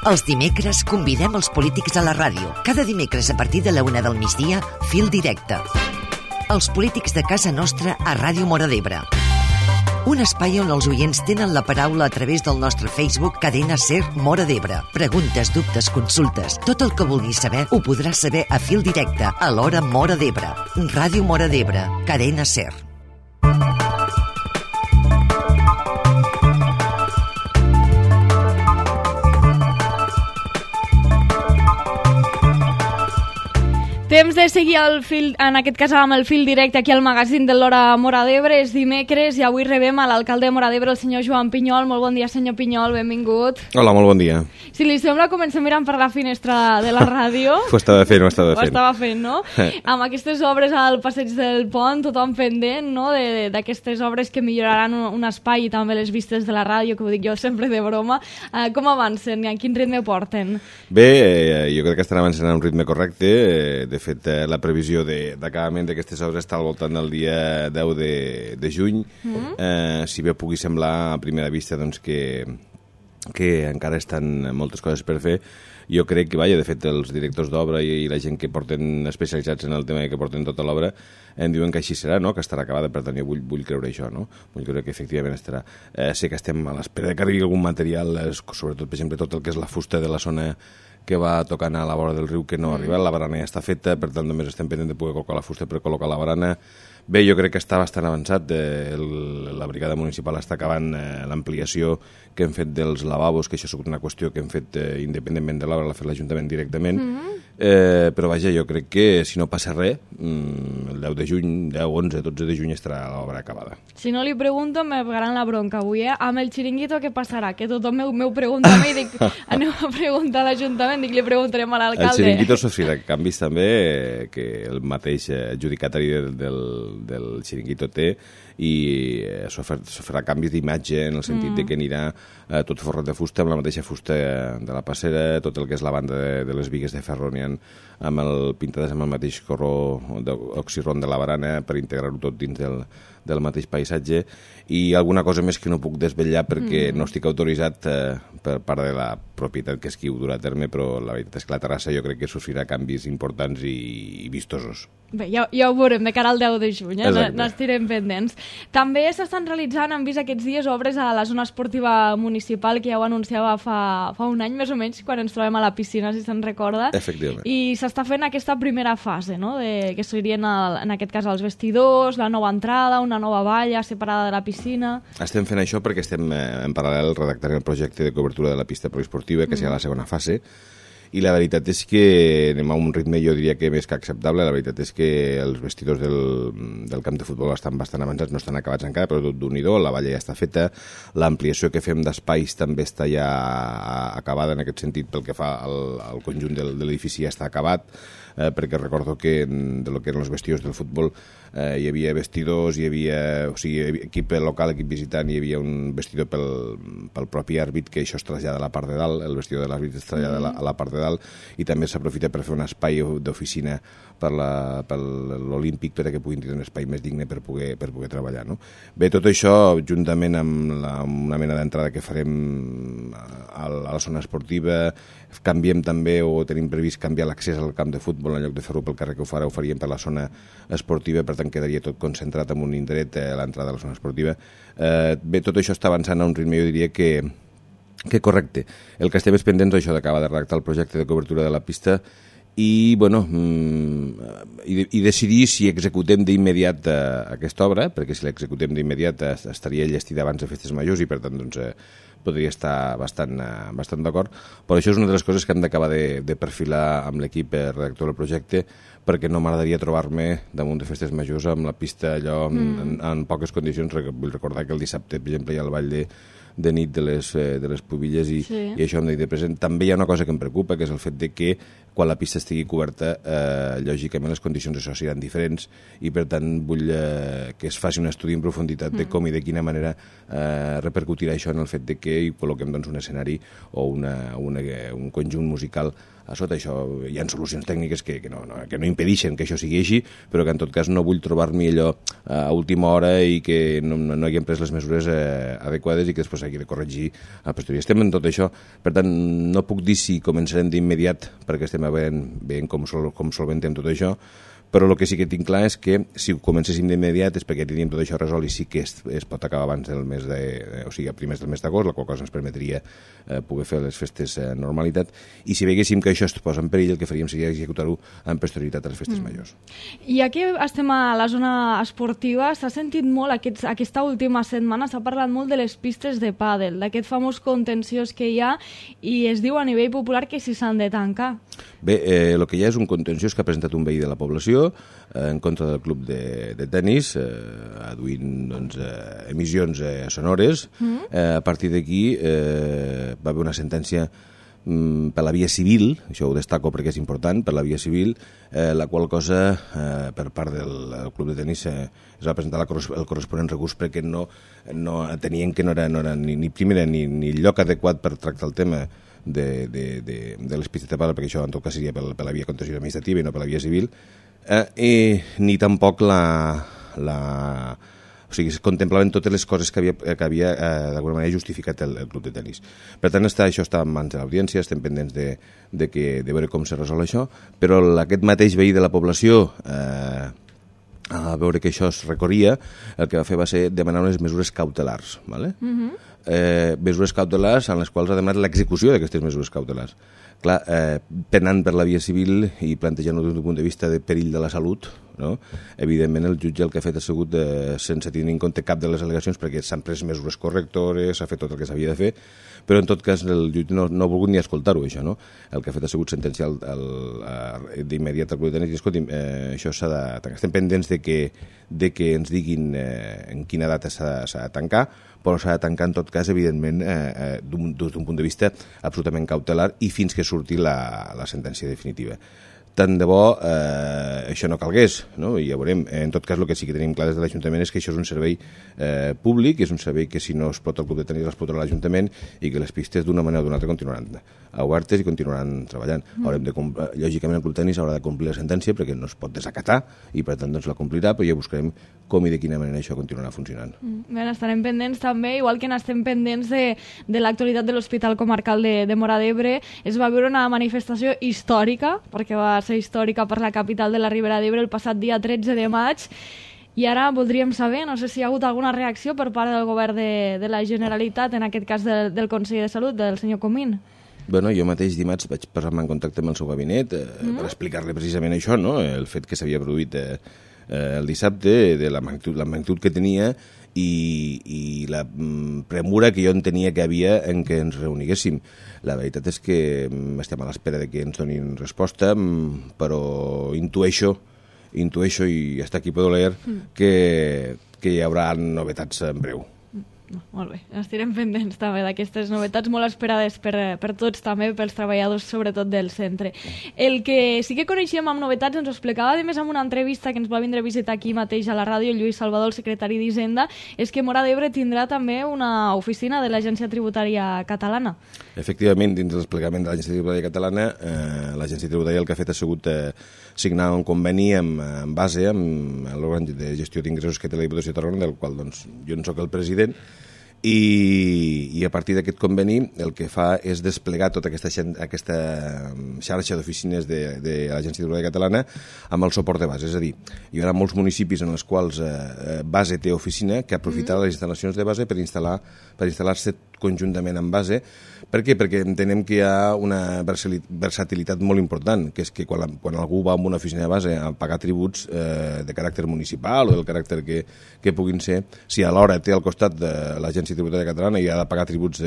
Els dimecres convidem els polítics a la ràdio. Cada dimecres a partir de la 1 del migdia, Fil Directe. Els polítics de casa nostra a Ràdio Móra d'Ebre. Un espai on els oients tenen la paraula a través del nostre Facebook Cadena Ser Móra d'Ebre. Preguntes, dubtes, consultes. Tot el que vulguis saber ho podràs saber a Fil Directe a l'hora Móra d'Ebre. Ràdio Móra d'Ebre. Cadena Ser. Temps de seguir en aquest cas amb el fil directe aquí al magazín de l'Hora Móra d'Ebre. És dimecres i avui rebem a l'alcalde de Móra d'Ebre, el senyor Joan Pinyol. Molt bon dia, senyor Pinyol, benvingut. Hola, molt bon dia. Si li sembla, comencem mirant per la finestra de la ràdio. Ho estava fent. Ho estava fent, no? Amb aquestes obres al passeig del Pont, tothom pendent, no?, d'aquestes obres que milloraran un espai i també les vistes de la ràdio, que ho dic jo sempre de broma. Com avancen i a quin ritme porten? Bé, jo crec que estan avançant a un ritme correcte. De fet, la previsió d'acabament d'aquestes obres està al voltant del dia 10 de juny. Si bé pugui semblar a primera vista doncs, que encara estan moltes coses per fer, jo crec que, de fet, els directors d'obra i la gent que porten especialitzats en el tema i que porten tota l'obra em diuen que així serà, no?, que estarà acabada. Per tant, jo vull creure això, no? Vull creure que efectivament estarà. Sé que estem a l'espera que arribi algun material, sobretot, per exemple, tot el que és la fusta de la zona que va tocant a la vora del riu, que no ha arribat. La barana ja està feta, per tant només estem pendents de poder col·locar la fusta per col·locar la barana. Bé, jo crec que està bastant avançat. La brigada municipal està acabant l'ampliació que hem fet dels lavabos, que això és una qüestió que hem fet independentment de l'obra, l'ha fet l'Ajuntament directament. Però vaja, jo crec que si no passa res, el 10 de juny, 10, 11, 12 de juny estarà l'obra acabada. Si no li pregunto, me pegaran la bronca avui, Amb el xiringuito què passarà? Que tothom m'ho pregunta a mi i dic, aneu a preguntar a l'Ajuntament, dic, li preguntarem a l'alcalde. El xiringuito sofrirà canvis també, que el mateix adjudicatari del xiringuito té, i farà canvis d'imatge en el sentit de que anirà tot forrat de fusta, amb la mateixa fusta de la passera, tot el que és la banda de les bigues de ferro pintades amb el mateix corró d'oxiron de la barana per integrar-ho tot dins del mateix paisatge, i alguna cosa més que no puc desvetllar perquè no estic autoritzat per part de la propietat que és qui ho durà a terme, però la veritat és que la terrassa jo crec que sofrirà canvis importants i vistosos. Bé, ja ho veurem de cara al 10 de juny, n'estirem pendents. També s'estan realitzant, hem vist aquests dies, obres a la zona esportiva municipal, que ja ho anunciava fa un any més o menys, quan ens trobem a la piscina, si se'n recorda. Efectivament. I s'està fent aquesta primera fase, no?, que serien, en aquest cas, els vestidors, la nova entrada, una nova valla separada de la piscina. Estem fent això perquè estem en paral·lel redactant el projecte de cobertura de la pista poliesportiva, que serà la segona fase, i la veritat és que anem a un ritme, jo diria que més que acceptable. La veritat és que els vestidors del camp de futbol estan bastant avançats, no estan acabats encara, però tot d'un-i-do, la valla ja està feta, l'ampliació que fem d'espais també està ja acabada en aquest sentit, pel que fa al conjunt de l'edifici ja està acabat, perquè recordo que de lo que eren els vestidors del futbol hi havia vestidors, hi havia equip local, equip visitant, hi havia un vestidor pel propi àrbit, que això es trasllada a la part de dalt, el vestidor de l'àrbit es trasllada a la part de dalt, i també s'aprofita per fer un espai d'oficina per l'Olímpic, perquè puguin tenir un espai més digne per poder treballar, no? Bé, tot això, juntament amb una mena d'entrada que farem a la zona esportiva, canviem també, o tenim previst canviar l'accés al camp de futbol, en lloc de fer-ho pel carrer que ho faríem per la zona esportiva, per tant quedaria tot concentrat en un indret a l'entrada de la zona esportiva. Bé, tot això està avançant a un ritme, jo diria que correcte. El que estem pendents és això d'acabar de redactar el projecte de cobertura de la pista i, bueno, i decidir si executem d'immediat aquesta obra, perquè si l'executem d'immediat estaria llestida abans de festes majors i, per tant, doncs, podria estar bastant d'acord, però això és una de les coses que hem d'acabar de perfilar amb l'equip redactor del projecte, perquè no m'agradaria trobar-me damunt de festes majors amb la pista allò en poques condicions. Vull recordar que el dissabte, per exemple, hi ha el ball de nit de les pubilles i això hem de tenir present. També hi ha una cosa que em preocupa, que és el fet de que quan la pista estigui coberta, lògicament les condicions d'això seran diferents i, per tant, vull que es faci un estudi en profunditat de com i de quina manera repercutirà això en el fet de que hi col·loquem doncs, un escenari o un conjunt musical a sota. Això hi ha solucions tècniques que no impedeixen que això sigui així, però que en tot cas no vull trobar-m'hi allò a última hora i que no haguem pres les mesures adequades i que després hagi de corregir a posteriori. Estem en tot això, per tant no puc dir si començarem d'immediat perquè estem veient com solventem tot això, però el que sí que tinc clar és que si ho comencéssim d'immediat és perquè teníem tot això resolt i sí que es pot acabar abans del mes o sigui, a primers del mes d'agost, la qual cosa ens permetria poder fer les festes amb normalitat, i si veiéssim que això es posa en perill, el que faríem seria executar-ho amb posterioritat a les festes majors. I ja que estem a la zona esportiva, s'ha sentit molt aquesta última setmana, s'ha parlat molt de les pistes de pàdel, d'aquest famós contenciós que hi ha, i es diu a nivell popular que si s'han de tancar. Bé, el que hi ha és un contenciós que ha presentat un veí de la població en contra del club de tenis, aduint doncs, emissions sonores. A partir d'aquí va haver una sentència per la via civil, això ho destaco perquè és important, per la via civil, la qual cosa per part del club de tenis es va presentar el corresponent recurs perquè no tenien que no era ni primera ni lloc adequat per tractar el tema de les pistes de pàdel, perquè això en tot cas seria per la via contenciosa administrativa i no per la via civil, ni tampoc o sigui, es contemplaven totes les coses que havia d'alguna manera justificat el club de tenis. Per tant, això està en mans de l'audiència, estem pendents de veure com se resol això, però aquest mateix veí de la població, a veure que això es recorria, el que va fer va ser demanar unes mesures cautelars, ¿vale? Mesures cautelars en les quals ha demanat l'execució d'aquestes mesures cautelars. Clar, penant per la via civil i plantejant-ho des d'un punt de vista de perill de la salut, no? Evidentment el jutge el que ha fet ha sigut sense tenir en compte cap de les al·legacions, perquè s'han pres mesures correctores, s'ha fet tot el que s'havia de fer, però en tot cas el jutge no ha volgut ni escoltar-ho, això, no? El que ha fet ha sigut sentenciar d'immediat al club de tenis i escolti'm, això s'ha de tancar. Estem pendents de que ens diguin en quina data s'ha de tancar, però s'ha de tancar en tot cas, evidentment, des d'un punt de vista absolutament cautelar i fins que surti la sentència definitiva. Tant de bo això no calgués, no? I ja veurem. En tot cas, el que sí que tenim clar des de l'Ajuntament és que això és un servei públic, és un servei que si no explota el club de tenis l'explotarà l'Ajuntament i que les pistes d'una manera o d'una altra continuaran obertes i continuaran treballant. Lògicament el club de tenis haurà de complir la sentència perquè no es pot desacatar i per tant doncs la complirà, però ja buscarem com i de quina manera això continuarà funcionant. Bé, estarem pendents també, igual que n'estem pendents de l'actualitat de l'Hospital Comarcal de Móra d'Ebre. Es va viure una manifestació històrica, perquè va ser històrica per la capital de la Ribera d'Ebre el passat dia 13 de maig, i ara voldríem saber, no sé si hi ha hagut alguna reacció per part del govern de la Generalitat, en aquest cas del Consell de Salut, del senyor Comín. Bueno, jo mateix dimarts vaig posar-me en contacte amb el seu gabinet per explicar-li precisament això, no? El fet que s'havia produït el dissabte, de la magnitud que tenia i la premura que jo entenia que havia en què ens reuniguéssim. La veritat és que estem a l'espera de que ens donin resposta, però intueixo i hasta aquí puedo leer que hi haurà novetats en breu. Molt bé, estirem pendents també d'aquestes novetats molt esperades per tots també, pels treballadors sobretot del centre. El que sí que coneixíem amb novetats, ens ho explicava a més en una entrevista que ens va vindre a visitar aquí mateix a la ràdio, Lluís Salvador, el secretari d'Hisenda, és que Móra d'Ebre tindrà també una oficina de l'Agència Tributària Catalana. Efectivament, dins del desplegament de l'Agència Tributària Catalana, l'Agència Tributària el que ha fet ha sigut signar un conveni amb base amb l'òrgan de gestió d'ingressos que té la Diputació de Tarragona, del qual doncs, jo en soc el president, i a partir d'aquest conveni el que fa és desplegar tota aquesta xarxa d'oficines de l'Agència Tributària Catalana amb el suport de base. És a dir, hi haurà molts municipis en els quals base té oficina que aprofitarà les instal·lacions de base per instal·lar-se conjuntament amb base. Per què? Perquè entenem que hi ha una versatilitat molt important, que és que quan algú va a una oficina de base a pagar tributs de caràcter municipal o del caràcter que puguin ser, si alhora té al costat de l'Agència Tributària Catalana i ha de pagar tributs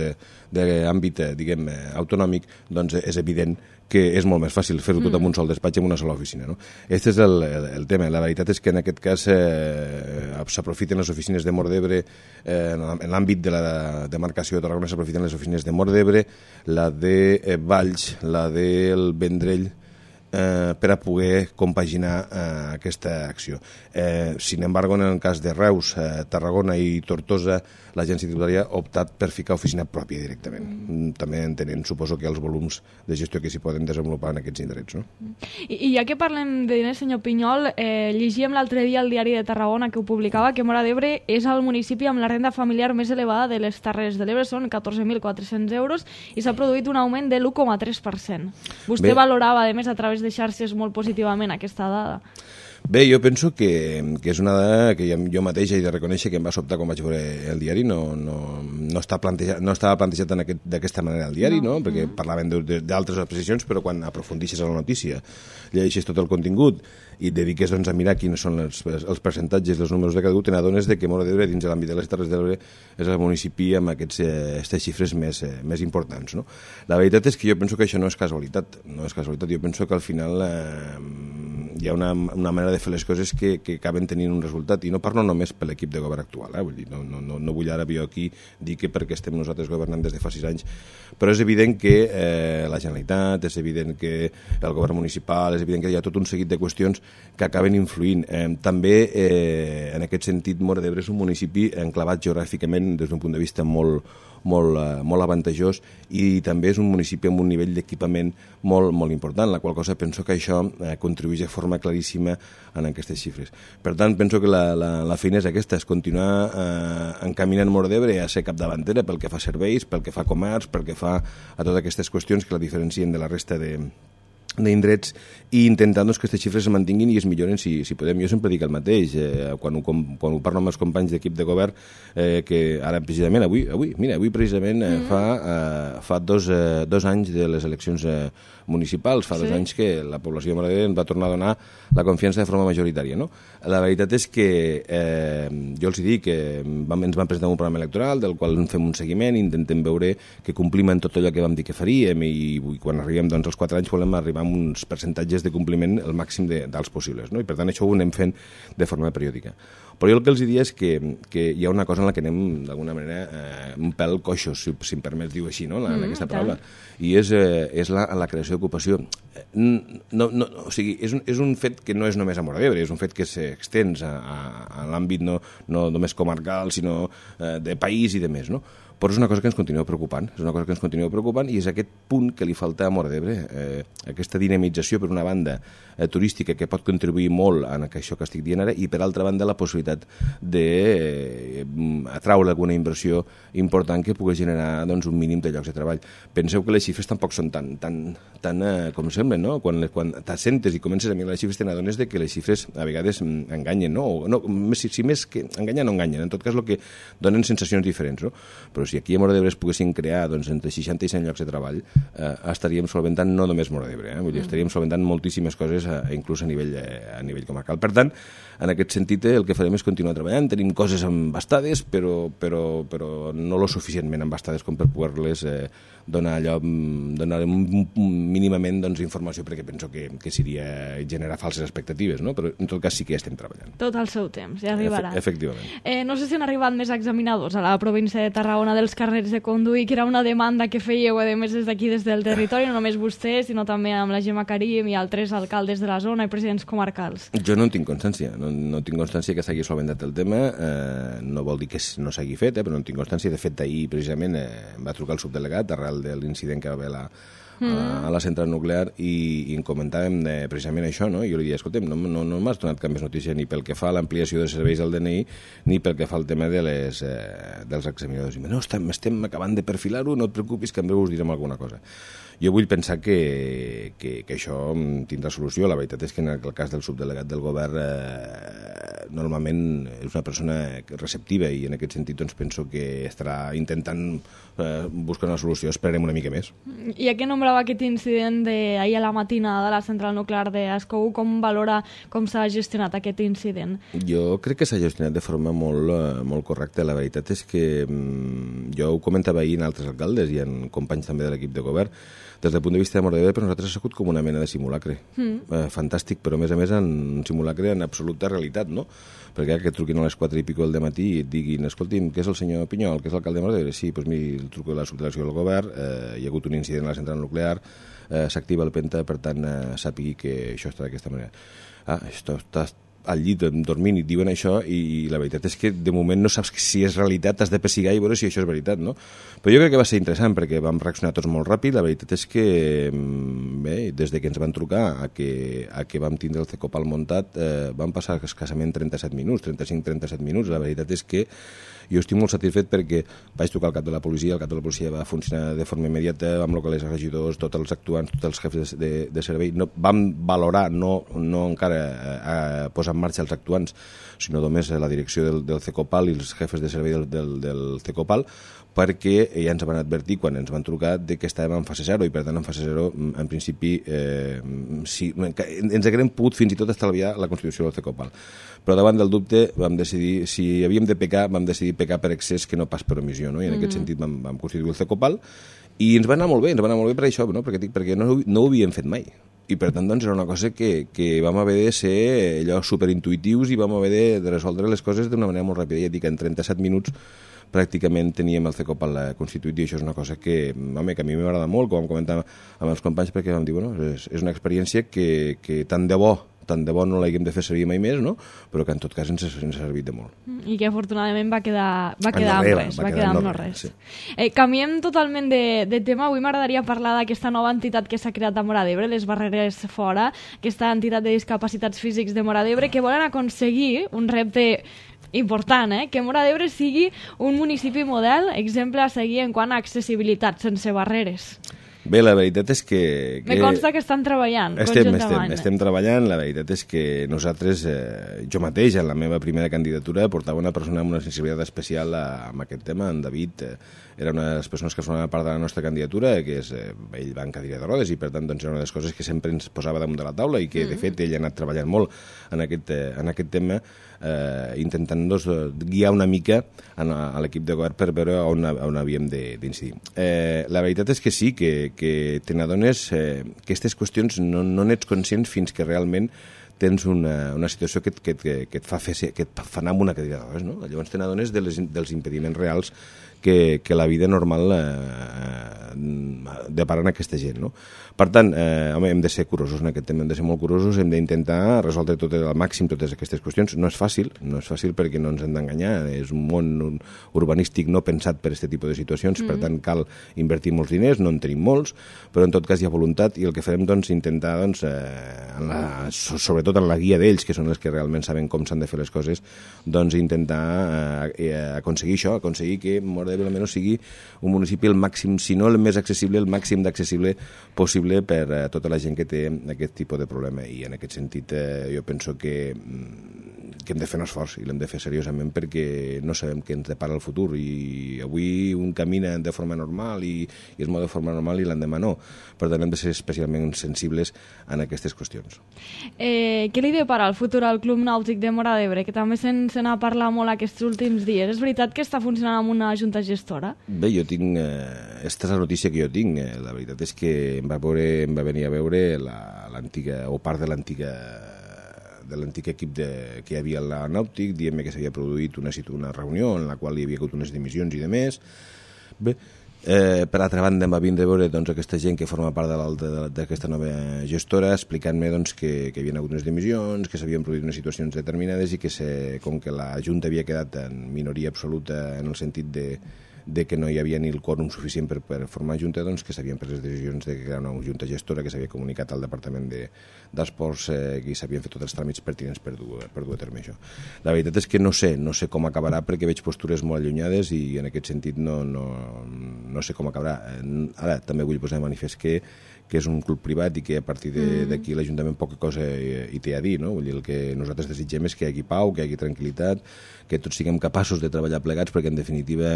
d'àmbit, diguem, autonòmic, doncs és evident que és molt més fàcil fer-ho tot en un sol despatx, en una sola oficina, no? Aquest és el tema. La veritat és que en aquest cas s'aprofiten les oficines de Móra d'Ebre, en l'àmbit de la demarcació de Tarragona s'aprofiten les oficines de Móra d'Ebre, la de Valls, la del Vendrell per a poder compaginar aquesta acció. Sin embargo, en el cas de Reus, Tarragona i Tortosa, l'agència tributària ha optat per ficar oficina pròpia directament. També entenent, suposo, que els volums de gestió que s'hi poden desenvolupar en aquests indrets. No? I ja que parlem de diners, senyor Pinyol, llegíem l'altre dia al diari de Tarragona que ho publicava, que Móra d'Ebre és el municipi amb la renda familiar més elevada de les Terres de l'Ebre, són 14.400 euros, i s'ha produït un augment de l'1,3%. Vostè valorava, a més, a través de xarxes molt positivament aquesta dada. Bé, jo penso que és una dada que jo mateix he de reconèixer que em va sobtar quan vaig veure el diari. No estava plantejat d'aquesta manera al diari, no? Perquè parlaven d'altres posicions, però quan aprofundixes a la notícia, llegeixes tot el contingut i et dediques a mirar quins són els percentatges, els números de cada un, te n'adones que Móra d'Ebre, dins de l'àmbit de les Terres de l'Ebre, és el municipi amb aquestes xifres més importants. No? La veritat és que jo penso que això no és casualitat. Jo penso que al final hi ha una manera de fer les coses que acaben tenint un resultat, i no parlo només per l'equip de govern actual, vull dir, no vull ara jo aquí dir que perquè estem nosaltres governant des de fa 6 anys, però és evident que la Generalitat, és evident que el govern municipal, és evident que hi ha tot un seguit de qüestions que acaben influint. També, en aquest sentit, Móra d'Ebre és un municipi enclavat geogràficament des d'un punt de vista molt avantajós, i també és un municipi amb un nivell d'equipament molt important, la qual cosa penso que això contribueix de forma claríssima en aquestes xifres. Per tant, penso que la feina és aquesta, és continuar encaminant Móra d'Ebre a ser capdavantera pel que fa a serveis, pel que fa a comerç, pel que fa a totes aquestes qüestions que la diferencien de la resta d'indrets, i intentant que aquestes xifres es mantinguin i es milloren si podem. Jo sempre dic el mateix, quan ho parlo amb els companys d'equip de govern, que ara precisament, avui precisament fa 2 anys de les eleccions municipals, fa 2 anys que la població de Móra d'Ebre ens va tornar a donar la confiança de forma majoritària. No? La veritat és que jo els dic que ens van presentar un programa electoral del qual fem un seguiment, intentem veure que complim en tot allò que vam dir que faríem, i quan arribem als 4 anys volem arribar amb uns percentatges de compliment el màxim dels possibles, no? I per tant això ho anem fent de forma periòdica. Però jo el que els diria és que hi ha una cosa en la que anem d'alguna manera un pèl coixos, si em permets dir-ho així, no? En aquesta paraula, i és la creació d'ocupació. O sigui, és un fet que no és només a Móra d'Ebre, és un fet que s'extens a l'àmbit no només comarcal, sinó de país i de més, no? Però és una cosa que ens continua preocupant, i és aquest punt que li falta a Móra d'Ebre, aquesta dinamització, per una banda, turística, que pot contribuir molt en això que estic dient ara, i per altra banda la possibilitat d'atraure alguna inversió important que pugui generar un mínim de llocs de treball. Penseu que les xifres tampoc són tan com semblen, no? Quan t'assentes i comences a mirar les xifres, te n'adones que les xifres a vegades enganyen, no? Si més que enganyen, no enganyen, en tot cas el que donen sensacions diferents, no? Però si aquí a Móra d'Ebre es poguessin crear entre 60 i 100 llocs de treball, estaríem solventant no només Móra d'Ebre, vull dir, estaríem solventant moltíssimes coses, inclús a nivell comarcal. Per tant, en aquest sentit, el que farem és continuar treballant. Tenim coses embastades, però no lo suficientment embastades com per poder-les donar mínimament informació, perquè penso que seria generar falses expectatives, no? Però en tot cas sí que estem treballant. Tot al seu temps, ja arribarà. Efectivament. No sé si han arribat més examinadors a la província de Tarragona dels carnets de conduir, que era una demanda que fèieu, a més, des d'aquí, des del territori, no només vostè, sinó també amb la Gemma Karim i altres alcaldes de la zona i presidents comarcals. Jo no en tinc constància, no tinc constància que s'hagi solventat el tema, no vol dir que no s'hagi fet, però no en tinc constància. De fet, ahir precisament em va trucar el subdelegat arrel de l'incident que va haver a la central nuclear, i en comentàvem precisament això, no? I jo li diria, escolta'm, no m'has donat cap més notícia ni pel que fa a l'ampliació de serveis del DNI ni pel que fa al tema dels examinadors. I no, estem acabant de perfilar-ho, no et preocupis, que en breu us direm alguna cosa. Jo vull pensar que això tindrà solució. La veritat és que en el cas del subdelegat del govern normalment és una persona receptiva, i en aquest sentit doncs, penso que estarà intentant buscar una solució. Esperarem una mica més. I a què nombrava aquest incident d'ahir a la matinada de la central nuclear d'Ascou? Com valora com s'ha gestionat aquest incident? Jo crec que s'ha gestionat de forma molt correcta. La veritat és que jo ho comentava ahir en altres alcaldes i en companys també de l'equip de govern. Des del punt de vista de Móra d'Ebre, per nosaltres ha sigut com una mena de simulacre. Fantàstic, però a més un simulacre en absoluta realitat, no? perquè que truquin a les 4 i pico del matí i et diguin, escolti'm, què és el senyor Pinyol, què és l'alcalde de Móra d'Ebre? Sí, doncs miri, el truco de la subdelegació del govern, hi ha hagut un incident a la central nuclear, s'activa el penta, per tant, sàpigui que això està d'aquesta manera. Això està al llit dormint i et diuen això i la veritat és que de moment no saps si és realitat, t'has de pessigar i veure si això és veritat, no? Però jo crec que va ser interessant perquè vam reaccionar tots molt ràpid. La veritat és que bé, des de que ens van trucar a que vam tindre el Cecopal muntat van passar escassament 37 minuts, 35-37 minuts. La veritat és que jo estic molt satisfet perquè vaig trucar al cap de la policia, el cap de la policia va funcionar de forma immediata, vam localitzar els regidors, tots els actuants, tots els jefes de servei, no, vam valorar, no encara posar en marxa els actuants, sinó només la direcció del Cecopal i els jefes de servei del Cecopal, perquè ja ens van advertir quan ens van trucar de que estàvem en fase 0 i per tant en fase 0 en principi ens haguem pogut fins i tot estalviar la constitució del Cecopal, però davant del dubte vam decidir, si havíem de pecar vam decidir pecar per excés que no pas per omissió, no? I en aquest sentit vam constituir el Cecopal i ens va anar molt bé per això, no? perquè no ho havíem fet mai i per tant doncs, era una cosa que vam haver de ser allò superintuitius i vam haver de resoldre les coses d'una manera molt ràpida. Ja dic, en 37 minuts pràcticament teníem el Cecopal constituït i això és una cosa que a mi m'agrada molt, com vam comentar amb els companys, perquè vam dir, bueno, és una experiència que tant de bo no l'haguem de fer servir mai més, no? Però que en tot cas ens ha servit de molt. I que afortunadament va quedar amb no res. Sí. Canviem totalment de tema. Avui m'agradaria parlar d'aquesta nova entitat que s'ha creat a Móra d'Ebre, les Barreres Fora, aquesta entitat de discapacitats físics de Móra d'Ebre, que volen aconseguir un repte important, que Móra d'Ebre sigui un municipi model, exemple a seguir en quant a accessibilitat, sense barreres. Bé, la veritat és que... Me consta que estan treballant conjuntament. Estem treballant. La veritat és que nosaltres, jo mateix, en la meva primera candidatura, portava una persona amb una sensibilitat especial amb aquest tema. En David era una de les persones que formava part de la nostra candidatura, que és, ell va en cadira de rodes i per tant doncs, era una de les coses que sempre ens posava damunt de la taula i que de fet ell ha anat treballant molt en aquest tema, intentant doncs, guiar una mica a l'equip de govern per veure on havíem d'incidir. La veritat és que sí, que te n'adones que aquestes qüestions no n'ets conscients fins que realment tens una situació que et fa anar amb una cadira de rodes, no? Llavors te n'adones dels impediments reals que la vida normal depara a aquesta gent, no? Per tant, hem de ser curosos en aquest tema, hem de ser molt curosos, hem d'intentar resoldre al màxim totes aquestes qüestions. No és fàcil perquè no ens hem d'enganyar, és un món urbanístic no pensat per aquest tipus de situacions, per tant cal invertir molts diners, no en tenim molts, però en tot cas hi ha voluntat i el que farem doncs intentar, sobretot en la guia d'ells, que són els que realment saben com s'han de fer les coses, doncs intentar aconseguir això, aconseguir que Móra d'Ebre almenys sigui un municipi el màxim, si no el més accessible, el màxim d'accessible possible per a tota la gent que té aquest tipus de problema. I en aquest sentit jo penso que hem de fer un esforç i l'hem de fer seriosament perquè no sabem què ens depara el futur i avui un camina de forma normal i es mou de forma normal i l'endemà no. Per tant hem de ser especialment sensibles en aquestes qüestions. Què li depara el futur al Club Nàutic de Móra d'Ebre, que també se n'ha parlat molt aquests últims dies? És veritat que està funcionant amb una junta gestora? Bé, jo tinc... Aquesta és la notícia que jo tinc. La veritat és que em va venir a veure l'antiga, o part de l'antic equip que hi havia al Nàutic, dient-me que s'havia produït una reunió en la qual hi havia hagut unes dimissions i demés. Bé, per altra banda em va vindre a veure doncs, aquesta gent que forma part d'aquesta nova gestora explicant-me doncs, que hi havia hagut unes dimissions, que s'havien produït unes situacions determinades i que com que la Junta havia quedat en minoria absoluta en el sentit de que no hi havia ni el quòrum suficient per formar junta, doncs que s'havien pres les decisions de crear una junta gestora que s'havia comunicat al Departament d'Esports i s'havien fet tots els tràmits pertinents per dur a terme això. La veritat és que no sé com acabarà perquè veig postures molt allunyades i en aquest sentit no sé com acabarà. Ara també vull posar de manifest que és un club privat i que a partir d'aquí l'Ajuntament poca cosa hi té a dir, no? Vull dir, el que nosaltres desitgem és que hi hagi pau, que hi hagi tranquil·litat, que tots siguem capaços de treballar plegats perquè en definitiva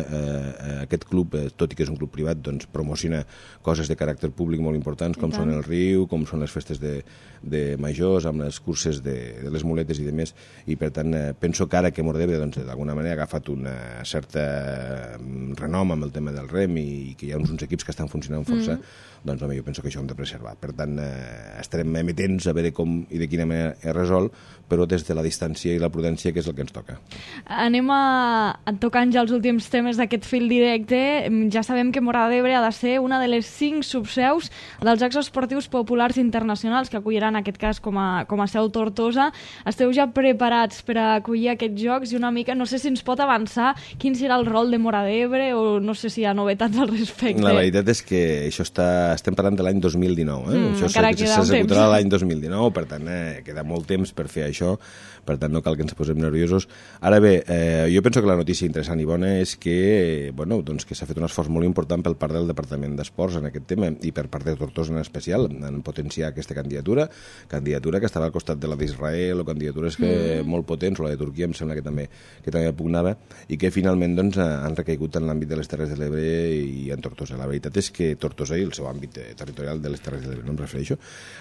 aquest club, tot i que és un club privat, doncs promociona coses de caràcter públic molt importants com són el riu, com són les festes de majors, amb les curses de les muletes i demés, i per tant penso que ara que Móra d'Ebre d'alguna manera ha agafat una certa renom amb el tema del rem i que hi ha uns equips que estan funcionant força, doncs home, jo penso que això hem de preservar. Per tant, estarem emetents a veure com i de quina manera es resol, però des de la distància i la prudència, que és el que ens toca. Anem tocant ja els últims temes d'aquest fil directe. Ja sabem que Móra d'Ebre ha de ser una de les 5 subseus dels Jocs Esportius Populars Internacionals que acolliran, en aquest cas, com a seu Tortosa. Esteu ja preparats per a acollir aquests Jocs? I una mica, no sé si ens pot avançar quin serà el rol de Móra d'Ebre o no sé si hi ha novetats al respecte. La veritat és que això estem parlant de l'any 2019. Això s'executarà l'any 2019, per tant, queda molt temps per fer això, per tant no cal que ens posem nerviosos. Ara bé, jo penso que la notícia interessant i bona és que, doncs que s'ha fet un esforç molt important per part del Departament d'Esports en aquest tema i per part de Tortosa en especial en potenciar aquesta candidatura que estava al costat de la d'Israel o candidatures molt potents, o la de Turquia em sembla que també pugnava, i que finalment doncs, han recaigut en l'àmbit de les Terres de l'Ebre i en Tortosa. La veritat és que Tortosa i el seu àmbit territorial de les Terres de l'Ebre, no em refereixo.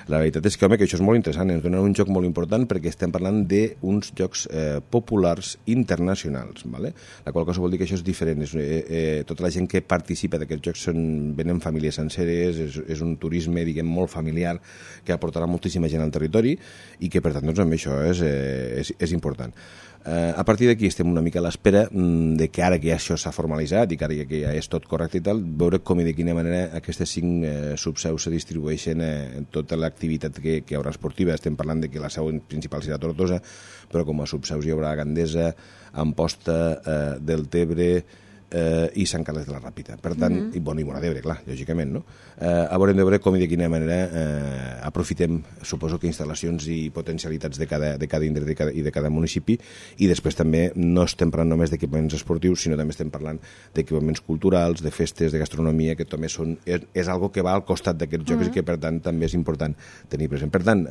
La veritat és que, home, que això és molt interessant, ens dona un joc molt important perquè estem parlant d'uns jocs populars internacionals, ¿vale? La qual cosa vol dir que això és diferent. Tota la gent que participa d'aquests jocs venen famílies senceres, és un turisme, diguem, molt familiar que aportarà moltíssima gent al territori i que, per tant, doncs, amb això és important. A partir d'aquí estem una mica a l'espera de que ara que ja això s'ha formalitzat i que ara que ja és tot correcte i tal, veure com i de quina manera aquestes 5 subseus se distribueixen en tota l'activitat que hi haurà esportiva. Estem parlant de que la seu principal serà Tortosa, però com a subseus hi haurà Gandesa, Amposta, Deltebre i Sant Carles de la Ràpita. Per tant, i Móra d'Ebre, clar, lògicament, no? Haurem de veure com i de quina manera aprofitem, suposo que instal·lacions i potencialitats de cada indret i de cada municipi, i després també no estem parlant només d'equipaments esportius, sinó també estem parlant d'equipaments culturals, de festes, de gastronomia, que també és algo que va al costat d'aquests jocs i que, per tant, també és important tenir present. Per tant,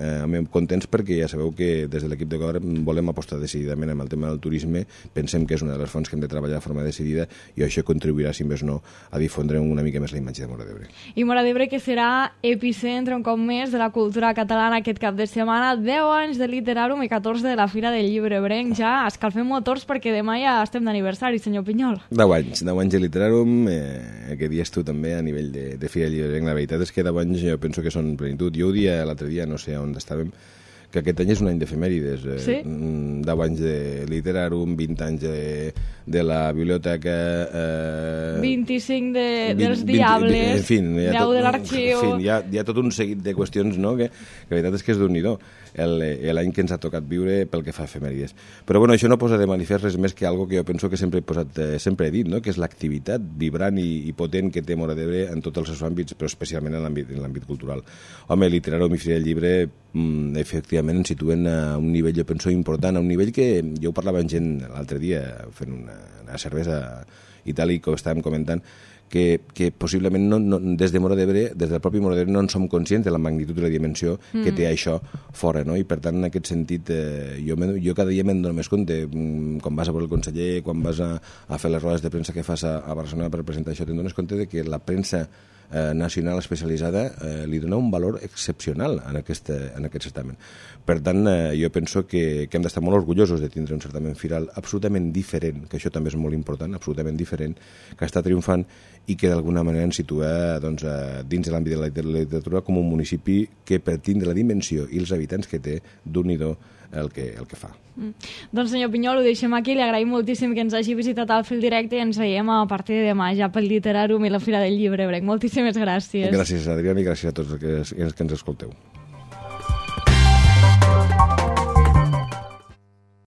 contents perquè ja sabeu que des de l'equip de govern volem apostar decididament amb el tema del turisme, pensem que és una de les fonts que hem de treballar de forma decidida, i això contribuirà, si més no, a difondre una mica més la imatge de Móra d'Ebre. I Móra d'Ebre, que serà epicentre un cop més de la cultura catalana aquest cap de setmana, 10 anys de Literàrum i 14 de la Fira del Llibre Ebrenc. Ja escalfem motors perquè demà ja estem d'aniversari, senyor Pinyol. 10 anys de Literàrum, que dies tu també a nivell de Fira del Llibre Ebrenc. La veritat és que 10 anys jo penso que són plenitud. Jo ho dia l'altre dia, no sé on estàvem, que aquest any és un any d'efemèrides. Sí? 10 anys de Literàrum, 20 anys de la biblioteca... 25 dels Diables, en fi, 10 de l'Arxiu... En fi, hi ha tot un seguit de qüestions, no?, que la veritat és que és d'un-i-do l'any que ens ha tocat viure pel que fa a efemèrides. Però bueno, això no posa de manifest res més que algo que jo penso que sempre he dit, no?, que és l'activitat vibrant i potent que té Móra d'Ebre en tots els seus àmbits, però especialment en l'àmbit cultural. Home, Literàrum i Fira del Llibre efectivament ens situen a un nivell, jo penso, important, a un nivell que jo ho parlava amb gent l'altre dia fent una cervesa i tal, i que ho estàvem comentant, que possiblement des de Móra d'Ebre, des del propi Móra d'Ebre, no en som conscients de la magnitud i la dimensió que té això fora, no? I per tant, en aquest sentit, jo cada dia me'n dono més compte. Quan vas a veure el conseller, quan vas a fer les rodes de premsa que fas a Barcelona per presentar això, te'n dones compte de que la premsa nacional especialitzada li dona un valor excepcional en aquest certamen. Per tant, jo penso que hem d'estar molt orgullosos de tindre un certamen firal absolutament diferent, que això també és molt important, absolutament diferent, que està triomfant i que d'alguna manera ens situa dins de l'àmbit de la literatura com un municipi que, per tindre la dimensió i els habitants que té, d'un-i-do el que fa. Doncs senyor Pinyol, ho deixem aquí, li agraïm moltíssim que ens hagi visitat al fil directe i ens veiem a partir de demà ja pel Literàrum i la Fira del Llibre Ebrenc. Moltíssimes gràcies. Gràcies, Adrià, i gràcies a tots els que ens escolteu.